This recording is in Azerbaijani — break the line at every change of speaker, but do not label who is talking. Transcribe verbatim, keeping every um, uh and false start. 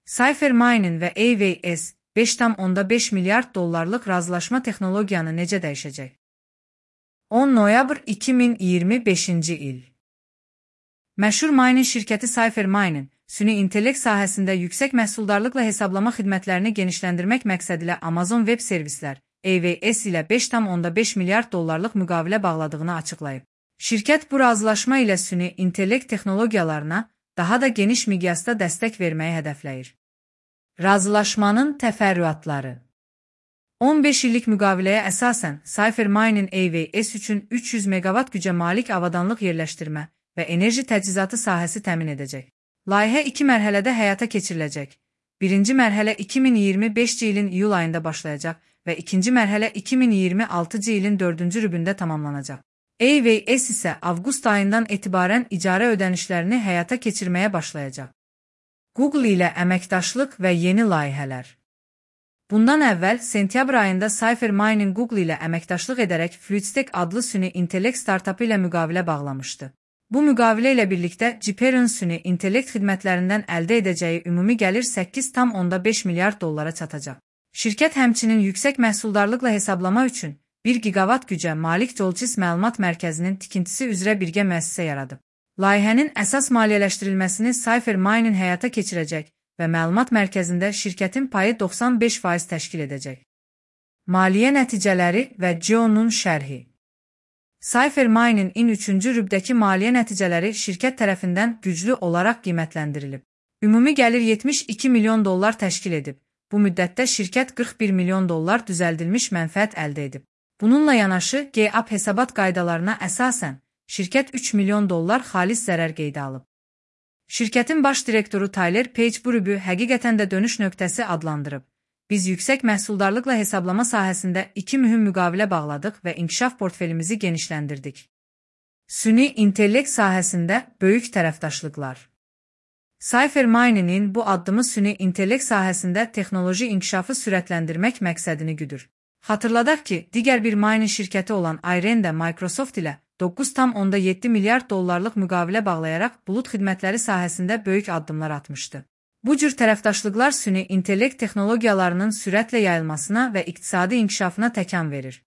Cypher Mining və A V S beş tam onda beş milyard dollarlıq razılaşma texnologiyanı necə dəyişəcək? on noyabr iki min iyirmi beşinci il. Məşhur mining şirkəti Cypher Mining, süni intellekt sahəsində yüksək məhsuldarlıqla hesablama xidmətlərini genişləndirmək məqsədilə Amazon Web Servislər A V S ilə beş tam onda beş milyard dollarlıq müqavilə bağladığını açıqlayıb. Şirkət bu razılaşma ilə süni intellekt texnologiyalarına daha da geniş miqyasda dəstək verməyi hədəfləyir. Razılaşmanın təfərrüatları. on beş illik müqaviləyə əsasən Cypher Mining A V S üçün üç yüz meqavat gücə malik avadanlıq yerləşdirmə və enerji təchizatı sahəsi təmin edəcək. Layihə iki mərhələdə həyata keçiriləcək. Birinci mərhələ iki min iyirmi beşinci ilin iyul ayında başlayacaq və ikinci mərhələ iki min iyirmi altıncı ilin dördüncü rübündə tamamlanacaq. A V S isə avqust ayından etibarən icarə ödənişlərini həyata keçirməyə başlayacaq. Google ilə əməkdaşlıq və yeni layihələr. Bundan əvvəl, sentyabr ayında Cypher Mining Google ilə əməkdaşlıq edərək Fluidstack adlı süni intellekt startapı ilə müqavilə bağlamışdı. Bu müqavilə ilə birlikdə Gper'in süni intellekt xidmətlərindən əldə edəcəyi ümumi gəlir səkkiz tam onda beş milyard dollara çatacaq. Şirkət həmçinin yüksək məhsuldarlıqla hesablama üçün bir giqavat gücə malik Joltis məlumat mərkəzinin tikintisi üzrə birgə müəssisə yaradıb. Layihənin əsas maliyyələşdirilməsini Cypher Mining həyata keçirəcək və məlumat mərkəzində şirkətin payı doxsan beş faiz təşkil edəcək. Maliyyə nəticələri və C E O'nun şərhi. Cypher Mining-in üçüncü rübdəki maliyyə nəticələri şirkət tərəfindən güclü olaraq qiymətləndirilib. Ümumi gəlir yetmiş iki milyon dollar təşkil edib. Bu müddətdə şirkət qırx bir milyon dollar düzəldilmiş mənfəət əldə edib. Bununla yanaşı, GAAP hesabat qaydalarına əsasən, şirkət üç milyon dollar xalis zərər qeydə alıb. Şirkətin baş direktoru Tyler Page bu rübü həqiqətən də dönüş nöqtəsi adlandırıb. Biz yüksək məhsuldarlıqla hesablama sahəsində iki mühüm müqavilə bağladıq və inkişaf portfelimizi genişləndirdik. Süni intellekt sahəsində böyük tərəfdaşlıqlar. Cypher Mining-in bu addımı süni intellekt sahəsində texnoloji inkişafı sürətləndirmək məqsədini güdür. Xatırladaq ki, digər bir mining şirkəti olan Iren də Microsoft ilə doqquz tam onda yeddi milyard dollarlıq müqavilə bağlayaraq bulut xidmətləri sahəsində böyük addımlar atmışdı. Bu cür tərəfdaşlıqlar süni intellekt texnologiyalarının sürətlə yayılmasına və iqtisadi inkişafına təkan verir.